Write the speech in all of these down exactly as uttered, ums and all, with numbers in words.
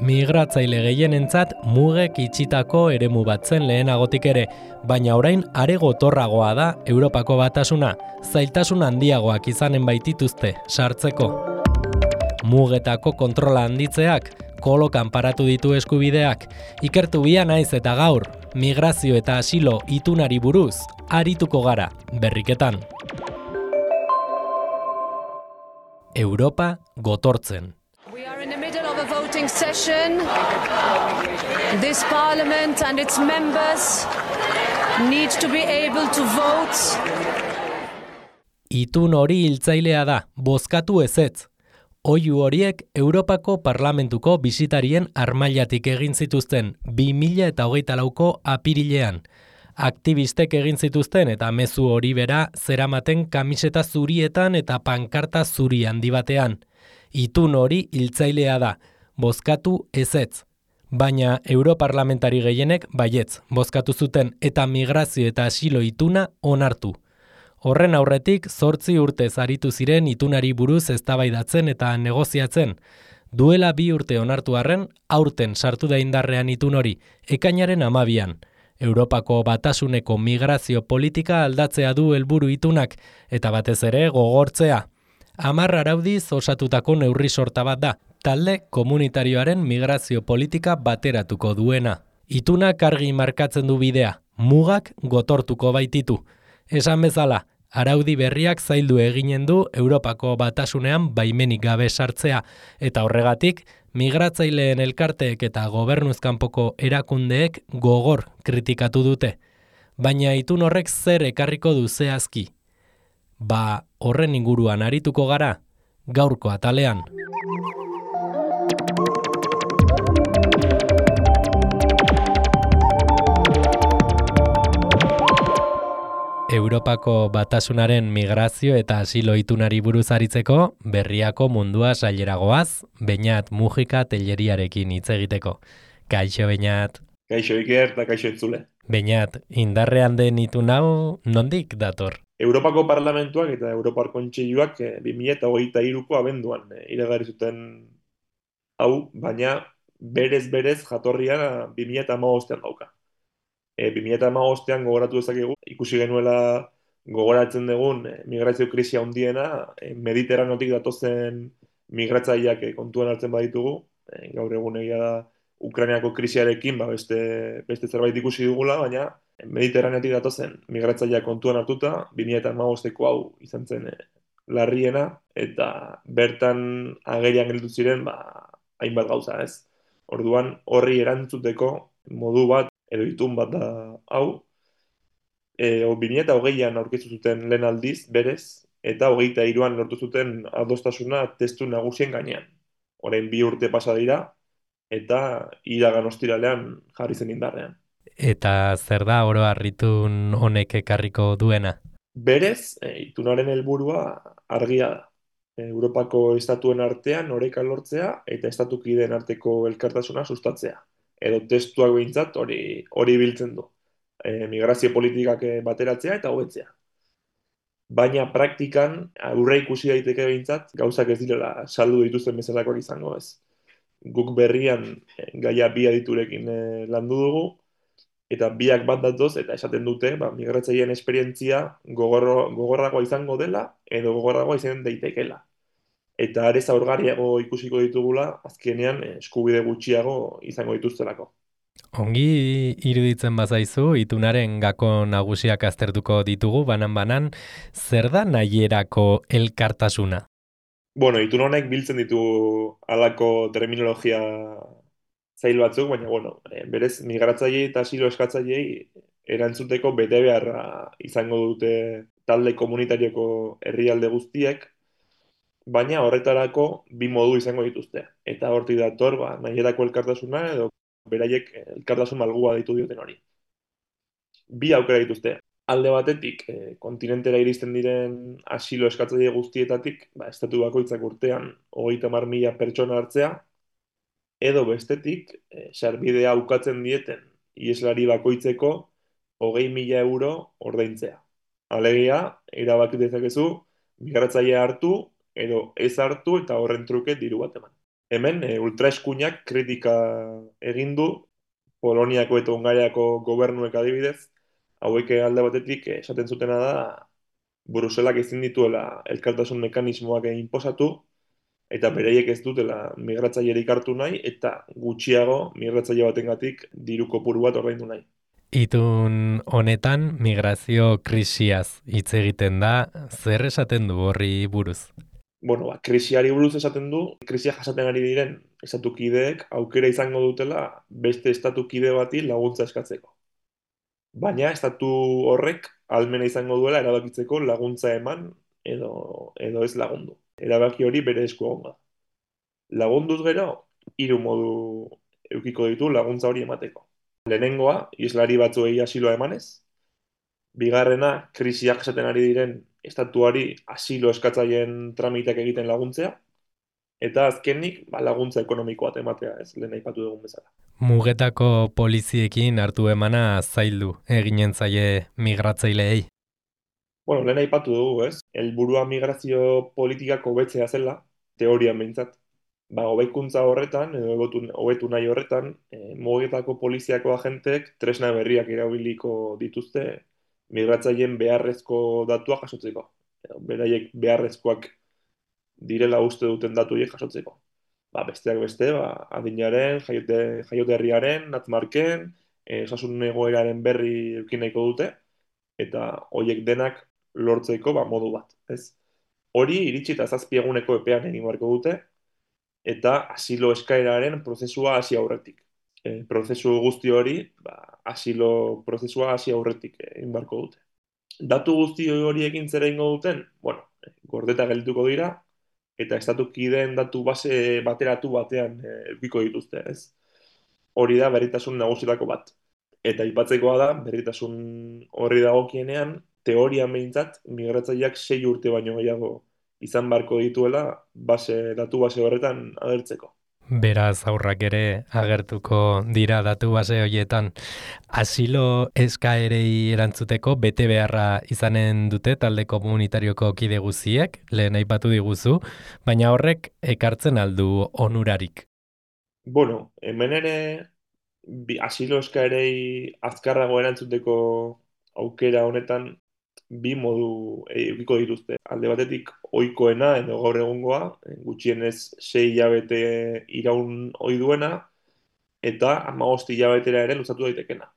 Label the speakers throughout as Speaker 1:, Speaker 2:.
Speaker 1: Migratzaile gehienentzat mugek itxitako eremu bat zen lehenagotik ere, baina orain are gotorragoa da Europako Batasuna, zailtasun handiagoak izanen baitituzte sartzeko. Mugetako kontrola handitzeak, kolokan paratu ditu eskubideak, ikertu bia naiz eta gaur, migrazio eta asilo itunari buruz, arituko gara, berriketan. Europa gotortzen.
Speaker 2: We are in the middle of a voting session. This parliament and its members need to be able to vote.
Speaker 1: Itun hori hiltzailea da, bozkatu ezetz. Oihu horiek Europako Parlamentuko bisitarien armailatik egin zituzten bi mila hogeita lauko apirilean. Aktivistek egin zituzten eta mezu hori bera zeramaten kamiseta zurietan eta pankarta zuri handi batean. Itun hori hiltzailea da, bozkatu ezetz. Baina europarlamentari gehienek baietz, bozkatu zuten eta migrazio eta asilo ituna onartu. Horren aurretik zortzi urtez aritu ziren itunari buruz eztabaidatzen eta negoziatzen. Duela bi urte onartu arren, aurten sartu da indarrean itun hori, ekainaren hamabian. Europako Batasuneko migrazio politika aldatzea du helburu itunak, eta batez ere gogortzea. Hamar araudiz osatutako neurri sorta bat da, talde komunitarioaren migrazio politika bateratuko duena. Itunak argi markatzen du bidea, mugak gotortuko baititu. Esan bezala, araudi berriak zaildu eginen du Europako Batasunean baimenik gabe sartzea, eta horregatik, migratzaileen elkarteek eta gobernuzkanpoko erakundeek gogor kritikatu dute. Baina itun horrek zer ekarriko du zehazki? Ba, horren inguruan arituko gara, gaurko atalean. Europako Batasunaren migrazio eta asilo itunari buruz aritzeko, berriako mundua saileragoaz, Beñat Mujika Telleriarekin hitz egiteko. Kaixo, Beñat.
Speaker 3: Kaixo, Iker, eta kaixo entzule.
Speaker 1: Beñat, indarrean den itun hau nondik dator?
Speaker 3: Europako Parlamentuak eta Europar Kontseiluak bi mila hogeita hiruko abenduan iragarri zuten hau, baina berez-berez jatorria bi mila hamabostean dauka. E, bi mila hamabostean gogoratu dezakegu, ikusi genuela gogoratzen dugun e, migrazio krisia handiena, e, Mediterraneotik datozen migratzaileak e, kontuan hartzen baditugu, e, gaur egun egia da Ukrainiako krisiarekin ba, beste, beste zerbait ikusi dugula, baina Mediterraneotik datozen migratzaileak kontuan hartuta, bi mila hamabosteko hau izan zen e, larriena, eta bertan agerian gelditu ziren ba, hainbat gauza, ez? Orduan horri erantzuteko modu bat edo itun bat da hau, e, bi mila hogeian aurkeztu zuten lehen aldiz, berez, eta hogeita hiruan lortu zuten adostasuna testu nagusien gainean. Orain bi urte pasa dira, eta iragan ostiralean jarri zen indarrean.
Speaker 1: Eta zer da oro harritun honek ekarriko duena?
Speaker 3: Berez, e, itunaren helburua argia da. E, Europako estatuen artean oreka lortzea eta estatukideen arteko elkartasuna sustatzea. Edo testuak behintzat hori hori biltzen du. E, migrazio politikak bateratzea eta hobetzea. Baina praktikan aurre ikusi daiteke behintzat gauzak ez direla saldu dituzten bezalakoak izango ez. Guk berrian e, gaia bi aditurekin e, landu dugu, eta biak bat datoz eta esaten dute ba, migratzaileen esperientzia gogorro, gogorragoa izango dela edo gogorragoa izan daitekela. Eta are zaurgarriago ikusiko ditugula, azkenean eskubide gutxiago izango dituztelako.
Speaker 1: Ongi iruditzen bazaizu, itunaren gako nagusiak aztertuko ditugu, banan-banan, zer da nahierako elkartasuna?
Speaker 3: Bueno, itun honek biltzen ditu halako terminologia zail batzuk, baina bueno, berez migratzailei eta asilo eskatzaileei erantzuteko betebeharra izango dute talde komunitarioko herrialde guztiek, baina horretarako bi modu izango dituzte. Eta hortik dator, ba, nahierako elkartasuna edo beraiek elkartasun malgua ditu dioten hori. Bi aukera dituzte. Alde batetik, e, kontinentera iristen diren asilo eskatzaile guztietatik, ba, estatu bakoitzak urtean hogeita hamar mila pertsona hartzea, edo bestetik, e, sarbidea ukatzen dieten ieslari bakoitzeko hogei mila euro ordaintzea. Alegia, erabaki dezakezu, migratzailea hartu, edo ez hartu eta horren truke diru bat eman. Hemen, e, ultraeskuinak kritika egin du, Poloniako eta Hungariako gobernuek adibidez, hauek alde batetik eh, esaten zutena da, Bruselak ezin dituela elkartasun mekanismoak inposatu, eta bereiek ez dutela migratzailerik hartu nahi, eta gutxiago migratzaile batengatik diru kopuru bat ordaindu nahi.
Speaker 1: Itun honetan migrazio krisiaz hitz egiten da, zer esaten du horri buruz?
Speaker 3: Bueno, ba, krisiari buruz esaten du, krisia jasaten ari diren estatukideek aukera izango dutela beste estatukide bati laguntza eskatzeko. Baina estatu horrek ahalmena izango duela erabakitzeko laguntza eman edo, edo ez lagundu. Erabaki hori bere esku egongo da. Lagunduz gero, hiru modu edukiko ditu laguntza hori emateko. Lehenengoa, islari batzuei asiloa emanez. Bigarrena, krisiak esaten ari diren estatuari asilo eskatzaileen tramiteak egiten laguntzea. Eta azkenik, ba, laguntza ekonomiko bat ematea, ez lehen aipatu dugun bezala.
Speaker 1: Mugetako poliziekin hartu emana zaildu eginen zaie migratzaileei.
Speaker 3: Bueno, lehen aipatu dugu, ez? Helburua migrazio politikak hobetzea zela, teorian behintzat. Ba, hobeikuntza horretan, edo hobetu, hobetu nahi horretan, e, mugetako poliziako agenteek tresna berriak erabiliko dituzte migratzaileen beharrezko datuak jasotzeko. Edo, beraiek beharrezkoak direla uste duten datu horiek jasotzeko. Ba, besteak beste, ba, adinaren, jaiote, jaiote herriaren, natmarken, e, osasun egoeraren berri eukin nahiko dute, eta horiek denak lortzeko ba, modu bat, ez? Hori iritsi eta zazpi eguneko epean egin beharko dute, eta asilo eskaeraren prozesua hasi aurretik. E, prozesu guzti hori, ba, asilo prozesua hasi aurretik egin beharko dute. Datu guzti horiekin zera ingo duten, bueno, gordeta geldituko dira, eta estatukideen datu base bateratu batean edukiko dituzte, ez? Hori da berritasun nagusietako bat. Eta aipatzekoa da, berritasun horri dagokienean, teorian behintzat, migratzaileak sei urte baino gehiago izan beharko dituela base, datu base horretan agertzeko.
Speaker 1: Beraz aurrak ere agertuko dira datu base horietan. Asilo eskaerei erantzuteko bete beharra izanen dute talde komunitarioko kide guziek, lehen aipatu diguzu, baina horrek ekartzen aldu onurarik.
Speaker 3: Bueno, hemen ere bi, asilo eskaerei azkarrago erantzuteko aukera honetan bi modu edukiko dituzte. Alde batetik ohikoena edo gaur egungoa, gutxienez sei hilabete iraun ohi duena eta hamabost hilabetera ere luzatu daitekena.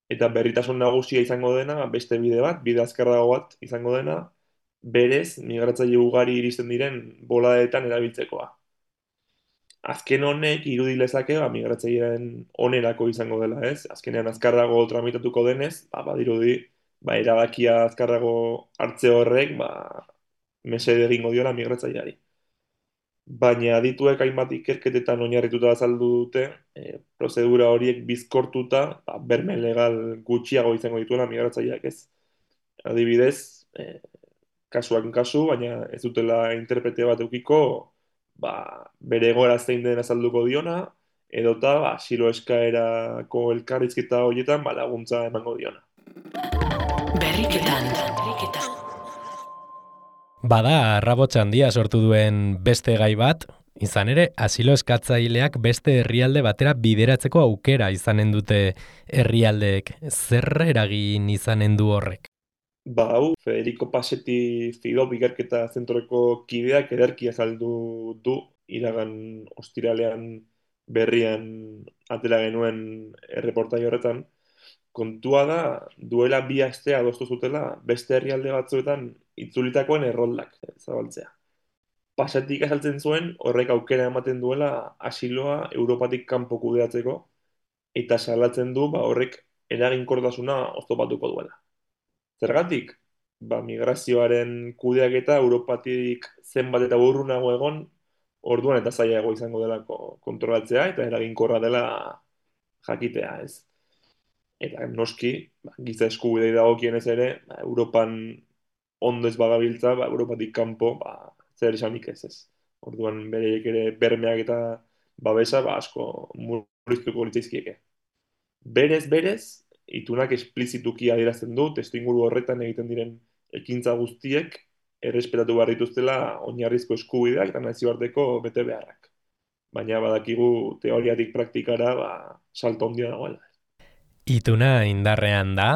Speaker 3: Eta berritasun nagusia izango dena, beste bide bat, bide azkarrago bat izango dena, berez migratzaile ugari iristen diren boladetan erabiltzekoa. Azken honek irudi lezake ba, migratzaileen onerako izango dela, ez? Azkenean azkarrago tramitatuko denez, ba, badirudi, ba, erabakia azkarrago hartze horrek, ba, mesede egingo diola migratzaileari. Baina adituek hainbat ikerketetan oinarrituta azaldu dute, e, prozedura horiek bizkortuta, ba, berme legal gutxiago izango dituela migratzaileak, ez? Adibidez, e, kasuak kasu, baina ez dutela interprete bat eukiko, ba, bere egoera zein den azalduko diona, edota ba, asilo eskaerako elkarrizketa horietan ba, laguntza emango diona.
Speaker 1: Berriketan. Bada, arrabotsa handia sortu duen beste gai bat, izan ere, asilo eskatzaileak beste herrialde batera bideratzeko aukera izanen dute herrialdeek. Zer eragin izanen du horrek?
Speaker 3: Ba, hau, Federico Passetti Fidop ikerketa zentroko kideak ederki azaldu du, iragan ostiralean berrian atera genuen erreportai horretan. Kontua da, duela bi aste adostu zutela beste herrialde batzuetan itzulitakoen erroldak zabaltzea. Passetik azaltzen zuen horrek aukera ematen duela asiloa Europatik kanpo kudeatzeko, eta salatzen du ba, horrek eraginkortasuna oztopatuko duela. Zergatik, ba, migrazioaren kudeaketa Europatik zenbat eta urrunago egon, orduan eta zailago izango delako kontrolatzea eta eraginkorra dela jakitea, ez. Eta noski, ba, giza eskubidei dagokienez ere, ba, Europan ondo ez bagabiltza, ba, Europatik kanpo, ba, zer esanik ez ez. Orduan bereiek ere bermeak eta babesa ba, asko murriztuko litzaizkieke. Berez, berez, itunak esplizituki adierazten du, testuinguru horretan egiten diren ekintza guztiek errespetatu behar dituztela oinarrizko eskubideak eta nazioarteko bete beharrak. baina badakigu teoriatik praktikara ba, salto handia dagoela.
Speaker 1: Ituna indarrean da,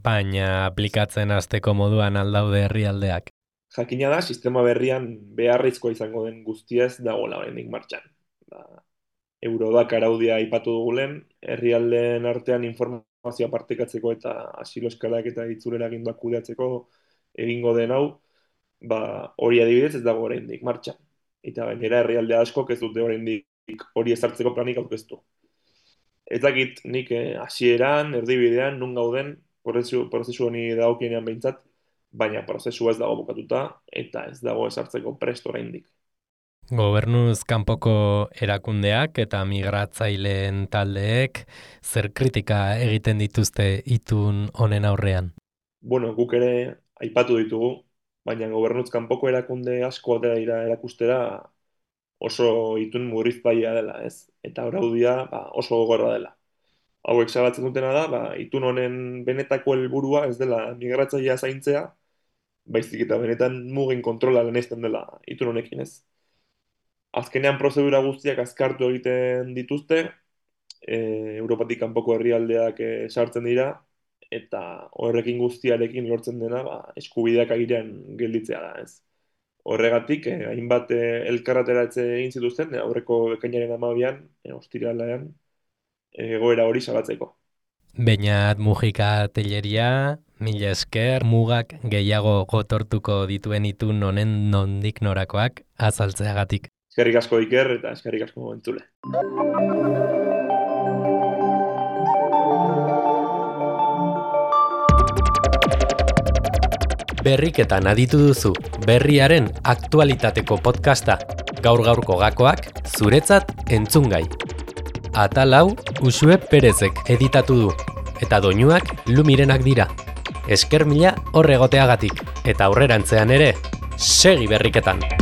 Speaker 1: baina aplikatzen hasteko moduan aldaude herrialdeak.
Speaker 3: Jakina da, sistema berrian beharrizkoa izango den guztia ez dagoela oraindik martxan. Ba, Eurodak araudia aipatu dugulen, herrialdeen artean informazioa partekatzeko eta asilo eskalak eta itzulera aginduak kudeatzeko egingo den hau, ba, hori adibidez ez dago oraindik martxan. Eta gainera herrialde askok ez dute oraindik hori ezartzeko planik aurkeztu. Ez dakit nik hasieran, eh, erdibidean, nun gauden, prozesu, prozesu honi dagokienean behintzat, baina prozesua ez dago bukatuta eta ez dago ezartzeko prest oraindik.
Speaker 1: Gobernuz kanpoko erakundeak eta migratzaileen taldeek zer kritika egiten dituzte itun honen aurrean?
Speaker 3: Bueno, guk ere aipatu ditugu, baina gobernuz kanpoko erakunde asko atera dira erakustera oso itun murriztailea dela, ez? Eta araudia ba, oso gogorra dela. Hauek salatzen dutena da, ba, itun honen benetako helburua ez dela migratzailea zaintzea, baizik eta benetan mugen kontrola lehenesten dela itun honekin, ez? Azkenean prozedura guztiak azkartu egiten dituzte, e, Europatik kanpoko herrialdeak e, sartzen dira, eta horrekin guztiarekin lortzen dena ba, eskubideak airean gelditzea da, ez? Horregatik, eh, hainbat eh, elkarrateratze egin zituzten, eh, aurreko ekainaren hamabian, eh, ostiralean, eh, egoera hori salatzeko.
Speaker 1: Beñat Mujika Telleria, mila esker, mugak gehiago gotortuko dituen itun honen nondik norakoak azaltzeagatik.
Speaker 3: Eskerrik asko Iker eta eskerrik asko entzule.
Speaker 1: Berriketan aditu duzu, berriaren aktualitateko podcasta, gaur-gaurko gakoak zuretzat entzungai. Atal hau Uxue Perezek editatu du, eta doinuak Lumirenak dira. Esker mila horregoteagatik, eta aurrerantzean ere, segi berriketan!